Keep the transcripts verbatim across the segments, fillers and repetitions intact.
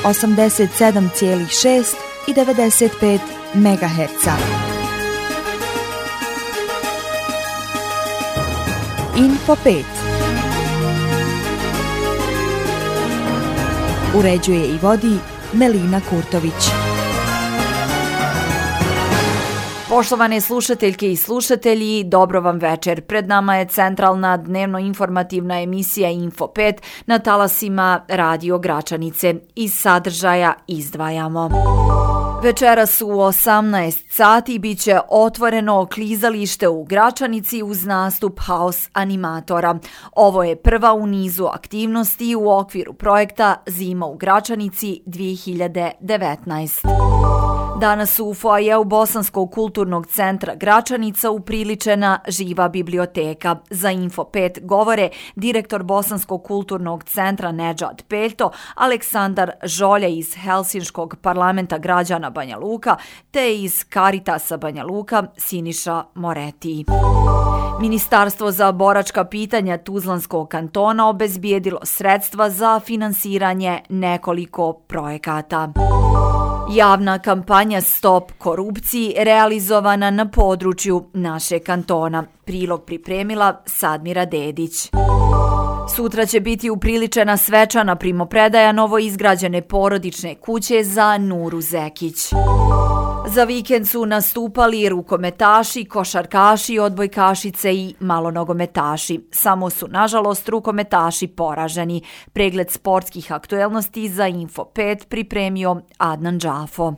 osamdeset sedam zarez šest i devedeset pet megaherca. Info pet. Uređuje i vodi Melina Kurtović. Poštovane slušateljke i slušatelji, dobro vam večer. Pred nama je centralna dnevno-informativna emisija Info pet na talasima Radio Gračanice. Iz sadržaja izdvajamo. Večeras u osamnaest sati biće otvoreno klizalište u Gračanici uz nastup House animatora. Ovo je prva u nizu aktivnosti u okviru projekta Zima u Gračanici dvije hiljade devetnaest. Danas u foajeu Bosanskog kulturnog centra Gračanica upriličena živa biblioteka. Za Info pet govore direktor Bosanskog kulturnog centra Nedžad Peljto, Aleksandar Žolja iz Helsinškog parlamenta građana Banja Luka te iz Karitasa Banja Luka Siniša Moreti. Ministarstvo za boračka pitanja Tuzlanskog kantona obezbijedilo sredstva za finansiranje nekoliko projekata. Javna kampanja Stop korupciji realizovana na području naše kantona. Prilog pripremila Sadmira Dedić. Sutra će biti upriličena svečana primopredaja novoizgrađene porodične kuće za Nuru Zekić. Za vikend su nastupali rukometaši, košarkaši, odbojkašice i malonogometaši. Samo su, nažalost, rukometaši poraženi. Pregled sportskih aktuelnosti za Info pet pripremio Adnan Džafo.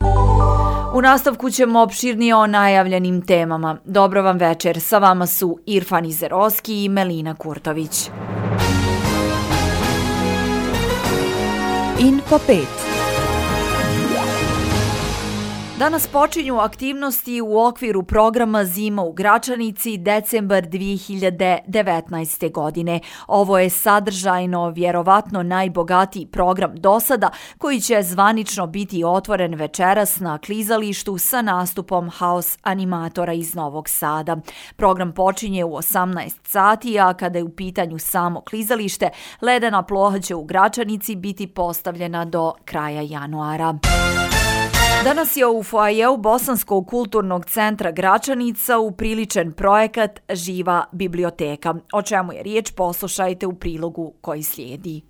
U nastavku ćemo opširnije o najavljenim temama. Dobro vam večer, sa vama su Irfan Izeroski i Melina Kurtović. Info pet. Danas počinju aktivnosti u okviru programa Zima u Gračanici decembar dvije hiljade devetnaeste. godine. Ovo je sadržajno vjerovatno najbogatiji program do sada koji će zvanično biti otvoren večeras na klizalištu sa nastupom House animatora iz Novog Sada. Program počinje u osamnaest sati, a kada je u pitanju samo klizalište, ledena ploha će u Gračanici biti postavljena do kraja januara. Danas je u foajeu Bosanskog kulturnog centra Gračanica upriličen projekat Živa biblioteka. O čemu je riječ, poslušajte u prilogu koji slijedi.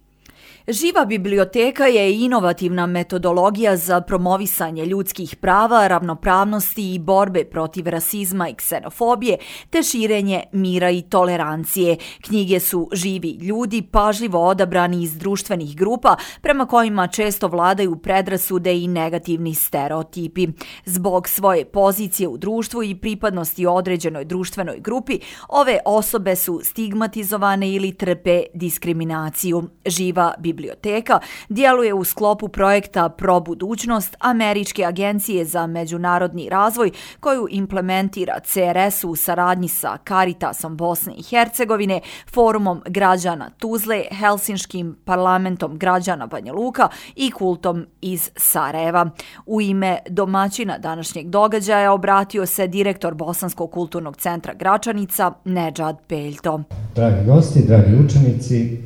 Živa biblioteka je inovativna metodologija za promovisanje ljudskih prava, ravnopravnosti i borbe protiv rasizma i ksenofobije, te širenje mira i tolerancije. Knjige su živi ljudi, pažljivo odabrani iz društvenih grupa, prema kojima često vladaju predrasude i negativni stereotipi. Zbog svoje pozicije u društvu i pripadnosti određenoj društvenoj grupi, ove osobe su stigmatizovane ili trpe diskriminaciju. Živa biblioteka djeluje u sklopu projekta Pro budućnost Američke agencije za međunarodni razvoj koju implementira C R S u saradnji sa Karitasom Bosne i Hercegovine, Forumom građana Tuzle, Helsinškim parlamentom građana Banja Luka i Kultom iz Sarajeva. U ime domaćina današnjeg događaja obratio se direktor Bosanskog kulturnog centra Gračanica Nedžad Peljto. Dragi gosti, dragi učenici,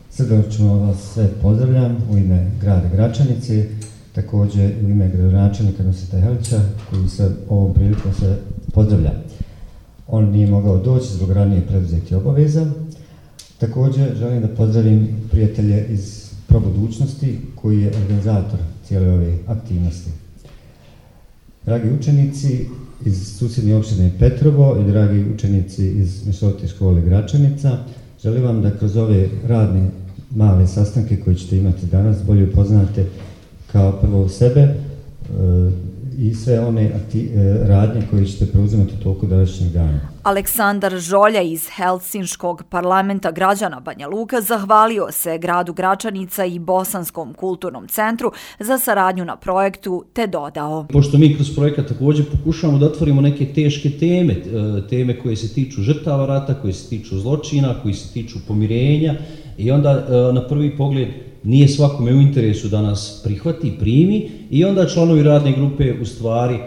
srdačno vas sve pozdravljam u ime grada Gračanice, također u ime gradonačelnika Nusreta Helića, koji se ovom prilikom se pozdravlja. On nije mogao doći zbog ranije preduzetih obaveza. Također želim da pozdravim prijatelje iz Pro budućnosti, koji je organizator cijele ove aktivnosti. Dragi učenici iz susjedne opštine Petrovo i dragi učenici iz Mešovite škole Gračanica, želim vam da kroz ove radne male sastanke koje ćete imati danas bolje upoznate kao prvo sebe e, i sve one akti, e, radnje koje ćete preuzimati u toku današnjeg dana. Aleksandar Žolja iz Helsinškog parlamenta građana Banja Luka zahvalio se gradu Gračanica i Bosanskom kulturnom centru za saradnju na projektu te dodao. Pošto mi kroz projekat također pokušavamo da otvorimo neke teške teme, teme koje se tiču žrtava rata, koje se tiču zločina, koje se tiču pomirenja i onda na prvi pogled nije svakome u interesu da nas prihvati, primi i onda članovi radne grupe u stvari uh,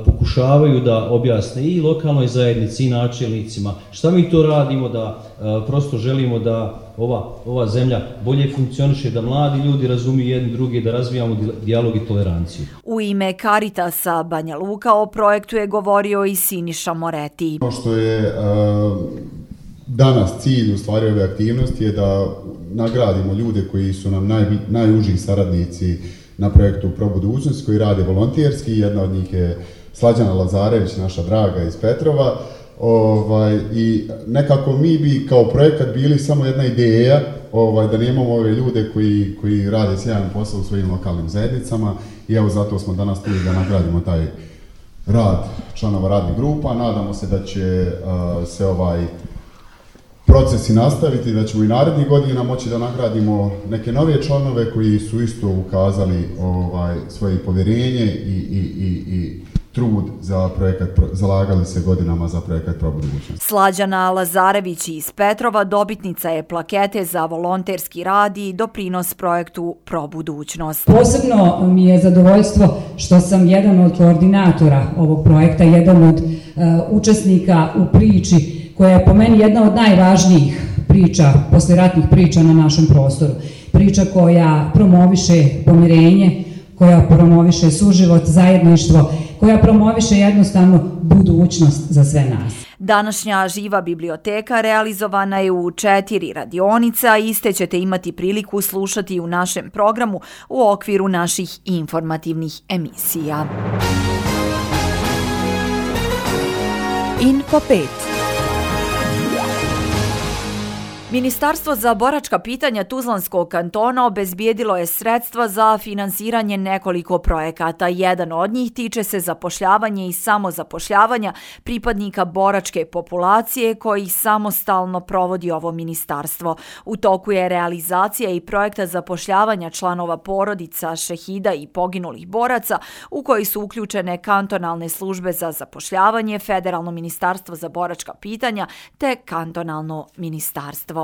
pokušavaju da objasne i lokalnoj zajednici i načelnicima šta mi to radimo, da uh, prosto želimo da ova, ova zemlja bolje funkcioniše, da mladi ljudi razumiju jedni drugi, da razvijamo dijalog i toleranciju. U ime Caritasa Banja Luka o projektu je govorio i Siniša Moreti. Ono što je uh, danas cilj u stvari ove aktivnosti je da nagradimo ljude koji su nam naj, najuži saradnici na projektu Pro budućnost, koji rade volonterski. Jedna od njih je Slađana Lazarević, naša draga iz Petrova. Ovaj, i nekako mi bi kao projekat bili samo jedna ideja, ovaj, da nemamo ove ljude koji, koji rade sjajan posao u svojim lokalnim zajednicama i evo zato smo danas tu da nagradimo taj rad članova radnih grupa. Nadamo se da će uh, se ovaj procesi nastaviti, da ćemo i narednih godina moći da nagradimo neke nove članove koji su isto ukazali ovaj, svoje povjerenje i, i, i, i trud za projekat, zalagali se godinama za projekat Pro budućnost. Slađana Lazarević iz Petrova dobitnica je plakete za volonterski rad i doprinos projektu Pro budućnost. Posebno mi je zadovoljstvo što sam jedan od koordinatora ovog projekta, jedan od uh, učesnika u priči koja je po meni jedna od najvažnijih priča, poslijeratnih priča na našem prostoru. Priča koja promoviše pomirenje, koja promoviše suživot, zajedništvo, koja promoviše jednostavno budućnost za sve nas. Današnja živa biblioteka realizovana je u četiri radionice, a iste ćete imati priliku slušati u našem programu u okviru naših informativnih emisija. Info pet. Ministarstvo za boračka pitanja Tuzlanskog kantona obezbijedilo je sredstva za finansiranje nekoliko projekata. Jedan od njih tiče se zapošljavanja i samozapošljavanja pripadnika boračke populacije koji samostalno provodi ovo ministarstvo. U toku je realizacija i projekta zapošljavanja članova porodica, šehida i poginulih boraca u koji su uključene kantonalne službe za zapošljavanje, Federalno ministarstvo za boračka pitanja te kantonalno ministarstvo.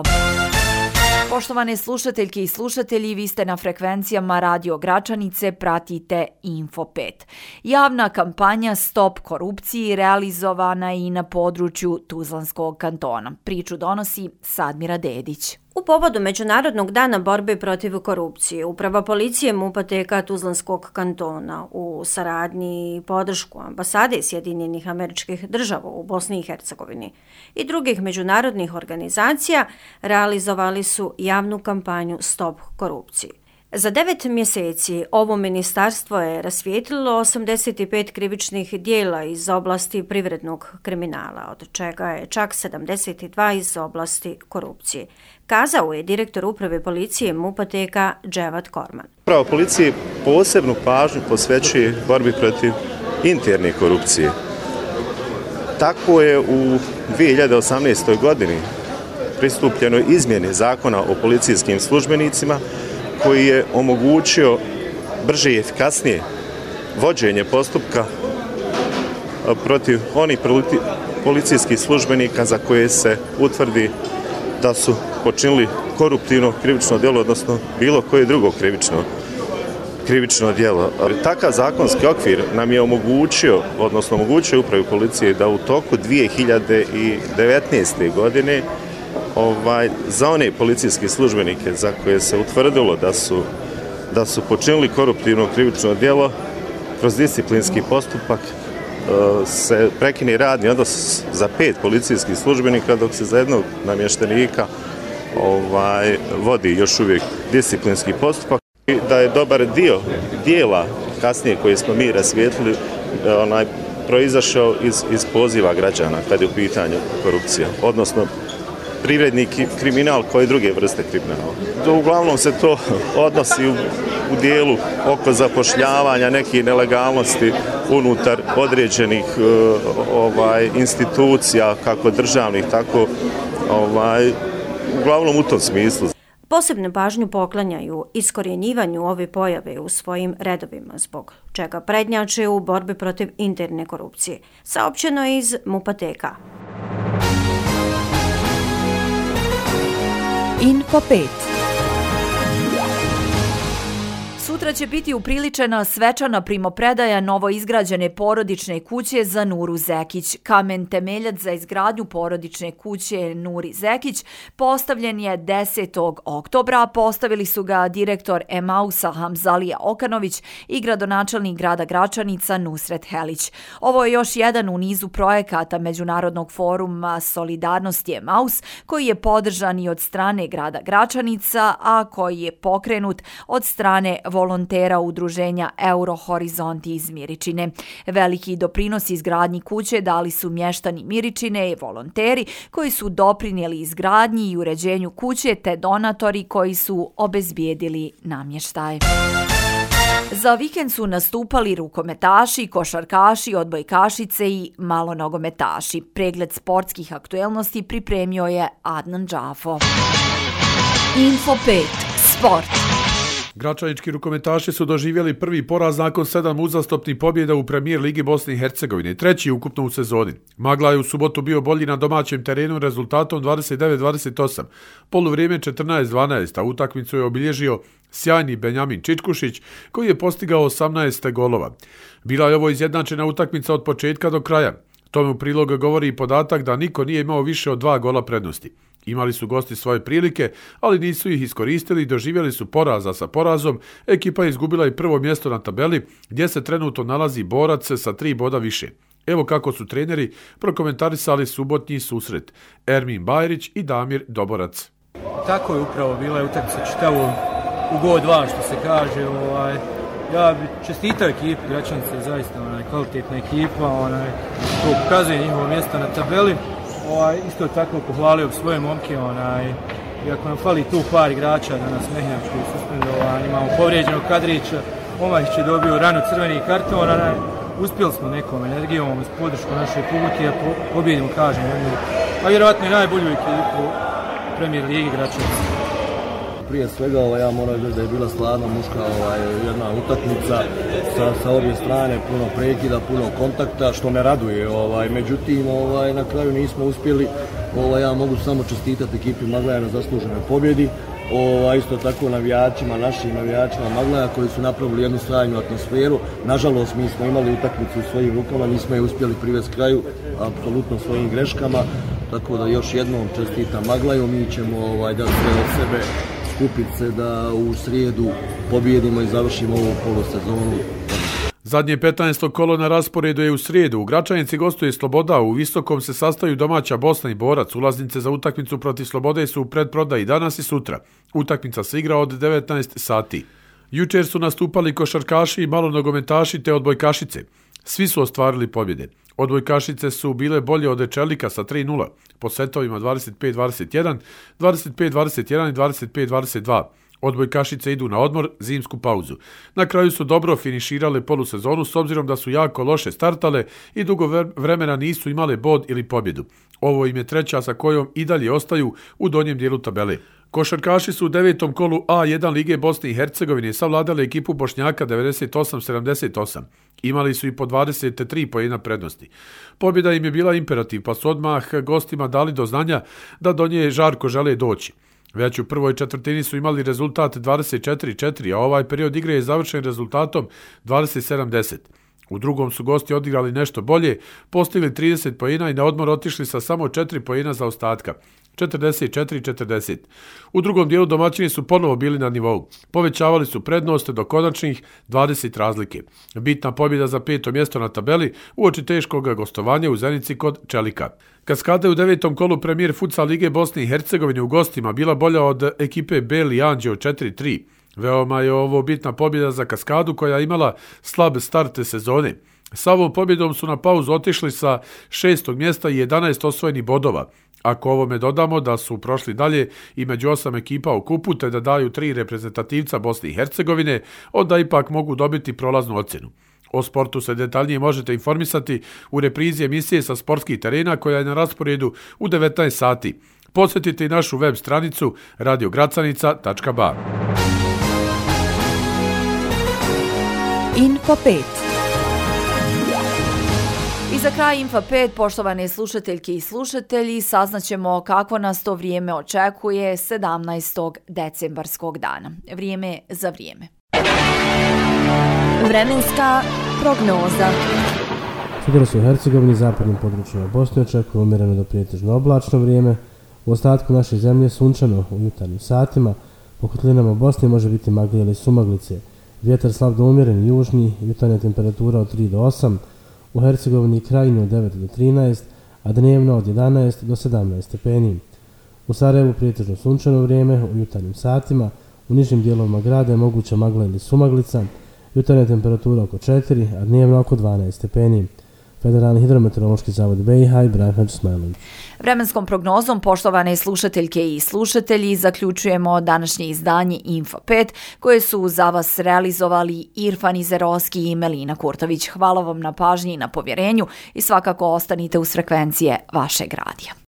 Poštovane slušateljke i slušatelji, vi ste na frekvencijama Radio Gračanice, pratite Info pet. Javna kampanja Stop korupciji realizovana i na području Tuzlanskog kantona. Priču donosi Sadmira Dedić. U povodu Međunarodnog dana borbe protiv korupcije, Uprava policije MUP-a T K Tuzlanskog kantona u saradnji i podršku ambasade Sjedinjenih Američkih Država u Bosni i Hercegovini i drugih međunarodnih organizacija realizovali su javnu kampanju Stop korupciji. Za devet mjeseci ovo ministarstvo je rasvijetlilo osamdeset pet krivičnih dijela iz oblasti privrednog kriminala, od čega je čak sedamdeset dva iz oblasti korupcije. Kazao je direktor Uprave policije MUP-a T K Dževat Korman. Uprava policije posebnu pažnju posvećuje borbi protiv interne korupcije. Tako je u dvije hiljade osamnaestoj. godini pristupljeno izmjeni zakona o policijskim službenicima koji je omogućio brže i efikasnije vođenje postupka protiv onih policijskih službenika za koje se utvrdi da su počinili koruptivno krivično djelo, odnosno bilo koje drugo krivično, krivično djelo. Takav zakonski okvir nam je omogućio, odnosno omogućio Upravi policije da u toku dvije hiljade devetnaeste. godine Ovaj, za one policijske službenike za koje se utvrdilo da su, da su počinili koruptivno krivično djelo, kroz disciplinski postupak e, se prekine radni odnos za pet policijskih službenika, dok se za jednog namještenika ovaj, vodi još uvijek disciplinski postupak. I da je dobar dio dijela kasnije koje smo mi rasvijetlili onaj, proizašao iz, iz poziva građana kad je u pitanju korupcija, odnosno privredni kriminal kao i druge vrste kriminala. Uglavnom se to odnosi u, u dijelu oko zapošljavanja nekih nelegalnosti unutar određenih uh, ovaj, institucija, kako državnih, tako ovaj, uglavnom u tom smislu. Posebnu pažnju poklanjaju iskorjenjivanju ove pojave u svojim redovima, zbog čega prednjače u borbi protiv interne korupcije. Saopćeno je iz MUP-a T K. Info pet. Sutra će biti upriličena svečana primopredaja novoizgrađene porodične kuće za Nuru Zekić. Kamen temeljac za izgradnju porodične kuće Nuri Zekić postavljen je desetog oktobra. Postavili su ga direktor Emausa Hamzalija Okanović i gradonačelnik grada Gračanica Nusret Helić. Ovo je još jedan u nizu projekata Međunarodnog foruma Solidarnosti Emaus, koji je podržan i od strane grada Gračanica, a koji je pokrenut od strane volontera udruženja Eurohorizonti iz Miričine. Veliki doprinos izgradnji kuće dali su mještani Miričine i volonteri koji su doprinijeli izgradnji i uređenju kuće te donatori koji su obezbijedili namještaj. Za vikend su nastupali rukometaši, košarkaši, odbojkašice i malonogometaši. Pregled sportskih aktuelnosti pripremio je Adnan Džafo. Info pet. Sport. Gračanički rukometaši su doživjeli prvi poraz nakon sedam uzastopnih pobjeda u premijer Ligi Bosne i Hercegovine, treći ukupno u sezoni. Magla je u subotu bio bolji na domaćem terenu rezultatom dvadeset devet dvadeset osam, poluvrijeme četrnaest dvanaest, a utakmicu je obilježio sjajni Benjamin Čičkušić koji je postigao osamnaest golova. Bila je ovo izjednačena utakmica od početka do kraja. Tome u prilog govori i podatak da niko nije imao više od dva gola prednosti. Imali su gosti svoje prilike, ali nisu ih iskoristili i doživjeli su poraza sa porazom. Ekipa je izgubila i prvo mjesto na tabeli, gdje se trenutno nalazi Borac sa tri boda više. Evo kako su treneri prokomentarisali subotnji susret. Ermin Bajrić i Damir Doborac. Tako je upravo bila utakmica čitavo u god dva, što se kaže. Ovaj, ja bi čestitao ekipu Gračanice, zaista onaj, kvalitetna ekipa, onaj, to pokazuje njihovo mjesto na tabeli. Ovaj, isto tako pohvalio svoje momke, onaj, iako nam fali tu par igrača da nas Mehnjač koji je suspendovan, imamo povrijeđenog Kadrića, Omahić je dobio rano crveni karton, onaj, uspjeli smo nekom energijom uz podršku naše publike, a po, pobjedimo, kažem, jednu, a vjerovatno i najbolju ekipu Premier Ligi Gračanice. Prije svega ovaj, ja moram reći da je bila stvarno muška ovaj, jedna utakmica sa, sa obje strane, puno prekida, puno kontakta, što me raduje. Ovaj, međutim, ovaj, na kraju nismo uspjeli. Ovaj, ja mogu samo čestitati ekipi Maglaja na zasluženoj pobjedi. Ovaj, isto tako navijačima, našim navijačima Maglaja koji su napravili jednu sjajnu atmosferu. Nažalost, mi smo imali utakmicu u svojim rukama, nismo je uspjeli privesti kraju, apsolutno svojim greškama. Tako da još jednom čestitam Maglaju, mi ćemo ovaj, da sve od sebe skupiti se da u srijedu pobjedimo i završimo ovu polosezonu. Zadnje petnaesto kolo na rasporedu je u srijedu. U Gračanici gostuje Sloboda, u Visokom se sastaju domaća Bosna i Borac. Ulaznice za utakmicu protiv Slobode su u predprodaji danas i sutra. Utakmica se igra od devetnaest sati. Jučer su nastupali košarkaši i malonogometaši te odbojkašice. Svi su ostvarili pobjede. Odbojkašice su bile bolje od Čelika sa tri nula, po setovima dvadeset pet dvadeset jedan, dvadeset pet dvadeset jedan i dvadeset pet dvadeset dva. Odbojkašice idu na odmor, zimsku pauzu. Na kraju su dobro finiširale polusezonu s obzirom da su jako loše startale i dugo vremena nisu imale bod ili pobjedu. Ovo im je treća sa kojom i dalje ostaju u donjem dijelu tabele. Košarkaši su u devetom kolu A jedan Lige Bosne i Hercegovine savladali ekipu Bošnjaka devedeset osam sedamdeset osam. Imali su i po dvadeset tri poena prednosti. Pobjeda im je bila imperativ, pa su odmah gostima dali do znanja da do nje žarko žele doći. Već u prvoj četvrtini su imali rezultat dvadeset četiri četiri, a ovaj period igre je završen rezultatom dvadeset sedam deset. U drugom su gosti odigrali nešto bolje, postigli trideset poena i na odmor otišli sa samo četiri poena za ostatka. četrdeset četiri četrdeset. U drugom dijelu domaćini su ponovo bili na nivou. Povećavali su prednost do konačnih dvadeset razlike. Bitna pobjeda za peto mjesto na tabeli uoči teškog gostovanja u Zenici kod Čelika. Kaskada je u devetom kolu premijer futsal Lige Bosne i Hercegovine u gostima bila bolja od ekipe Beli Anđeo četiri tri. Veoma je ovo bitna pobjeda za Kaskadu koja je imala slab start sezone. Sa ovom pobjedom su na pauzu otišli sa šestog mjesta i jedanaest osvojenih bodova. Ako ovome dodamo da su prošli dalje i među osam ekipa u kupu te da daju tri reprezentativca Bosne i Hercegovine, onda ipak mogu dobiti prolaznu ocjenu. O sportu se detaljnije možete informisati u reprizi emisije sa sportskih terena koja je na rasporedu u devetnaest sati. Posjetite i našu web stranicu radio gracanica tačka ba. Info pet. I za kraj Info pet, poštovane slušateljke i slušatelji, saznaćemo kako nas to vrijeme očekuje sedamnaestog decembarskog dana. Vrijeme za vrijeme. Vremenska prognoza. Sutra se u Hercegovini i zapadnim područjima Bosne očekuje umjereno do prijetežno oblačno vrijeme. U ostatku naše zemlje sunčano u jutarnjim satima. Po kotlinama Bosne može biti magle ili sumaglice. Vjetar slab do umjeren južni, jutarnja temperatura od tri do osam. U Hercegovini i Krajini od devet do trinaest, a dnevno od jedanaest do sedamnaest stepeni. U Sarajevu prijetežno sunčano vrijeme u jutarnjim satima. U nižim dijelovima grada je moguća magla ili sumaglica. Jutarnja temperatura oko četiri, a dnevno oko dvanaest stepeni. Federalni hidrometeorološki zavod B i H i Branhan Smajlović. Vremenskom prognozom, poštovane slušateljke i slušatelji, zaključujemo današnje izdanje Info pet, koje su za vas realizovali Irfan Izerovski i Melina Kurtović. Hvala vam na pažnji i na povjerenju i svakako ostanite uz frekvencije vašeg radija.